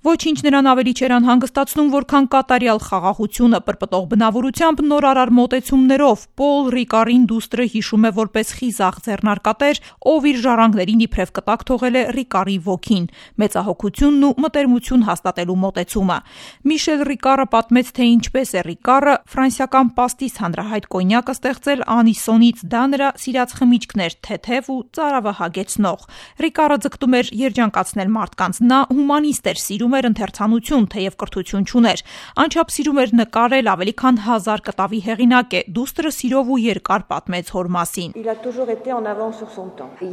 Ոչինչ նրան ավելի չէր անհանգստացնում, որքան կատարյալ խաղաղությունը պրպտող բնավորությամբ նորարար մոտեցումներով։ Պոլ Ռիկարին դուստրը հիշում է որպես խիզախ ձեռնարկատեր, ով իր ժառանգներին իբրև կտակ թողել է Ռիկարի ոգին, մեծահոգությունն ու մտերմություն հաստատելու մոտեցումը։ Միշել Ռիկարը պատմեց, թե ինչպես է Ռիկարը ֆրանսիական պաստիս հանրահայտ կոնյակը ստեղծել անիսոնից, դա նրա սիրած խմիչքն էր, թեթև ու ծարավը հագեցնող։ Ռիկարը ձգտում էր երջանկացնել մարդկանց, նա հումանիստ էր, սիրում էր ընթերցանություն, թեև կրթություն չուներ, անչափ սիրում էր նկարել, ավելի քան 1000 կտավի հեղինակ է, դուստրը սիրով ու երկար պատմեց հոր մասին։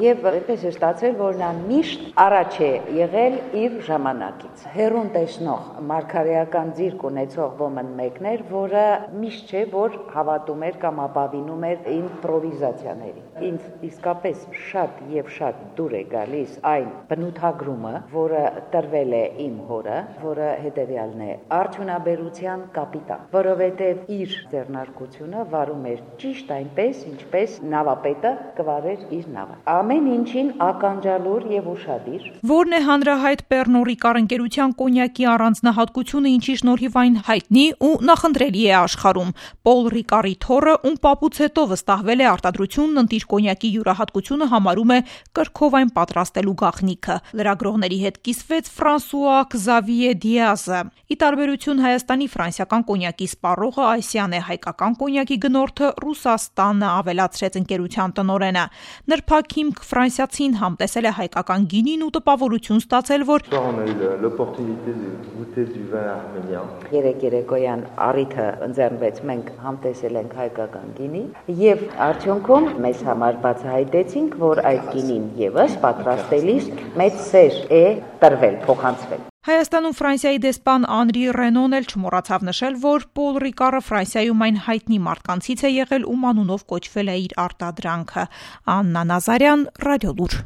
Եվ այնպես է ստացվել, որ նա միշտ առաջ է եղել իր ժամանակից։ Հերուն տեսնող մարգարեական ձիրք ունեցող ոմն մեկն էր, որը միշտ չէ, որ հավատում էր կամ ապավինում էր իմպրովիզացիաների։ Ինձ իսկապես շատ եւ շատ դուր է գալիս այն բնութագրումը, որը տրվել է իմ հորը, որը հետևյալն է՝ արդյունաբերության կապիտալ, որովհետև իր ձեռնարկությունը վարում էր ճիշտ այնպես, ինչպես նավապետը կվարեր իր նավը։ Ամեն ինչին ականջալուր եւ ուշադիր։ Որն է հանրահայտ Պեռնո Ռիկար ընկերության կոնյակի առանձնահատկությունը, ինչի շնորհիվ այն հայտնի ու նախընտրելի է աշխարհում։ Պոլ Ռիկարի թոռը, ում պապուց հետո վստահվել է արտադրությունն, ընտիր կոնյակի յուրահատկությունը համարում է կրքով այն պատրաստելու գաղտնիքը։ Լրագրողների հետ կիսվեց Ֆրանսուଆ Xavier Diaz-ը։ Ի տարբերություն Հայաստանի, ֆրանսիական կոնյակի սպառողը Այսյան է, հայկական կոնյակի գնորդը Ռուսաստանը, ավելացրեց ընկերության տնօրենը։ Նրբակ հիմք ֆրանսիացին համտեսել է հայկական գինին ու տպավորություն ստացել, որ երեկոյան առիթը ընձեռնվեց, մենք համտեսել ենք հայկական գինի եւ արդյունքում մեզ համար բացահայտեցինք, որ այդ գինին եւս պատրաստելիս մեծ սեր է տրվել, փոխանցվել։ Հայաստանում Ֆրանսիայի դեսպան Անրի Ռենոն էլ չմոռացավ նշել, որ Պոլ Ռիկարը Ֆրանսիայում այն հայտնի մարդկանցից է եղել, ում անունով կոչվել է իր արտադրանքը։ Աննա Նազարյան, Ռադիոլուր։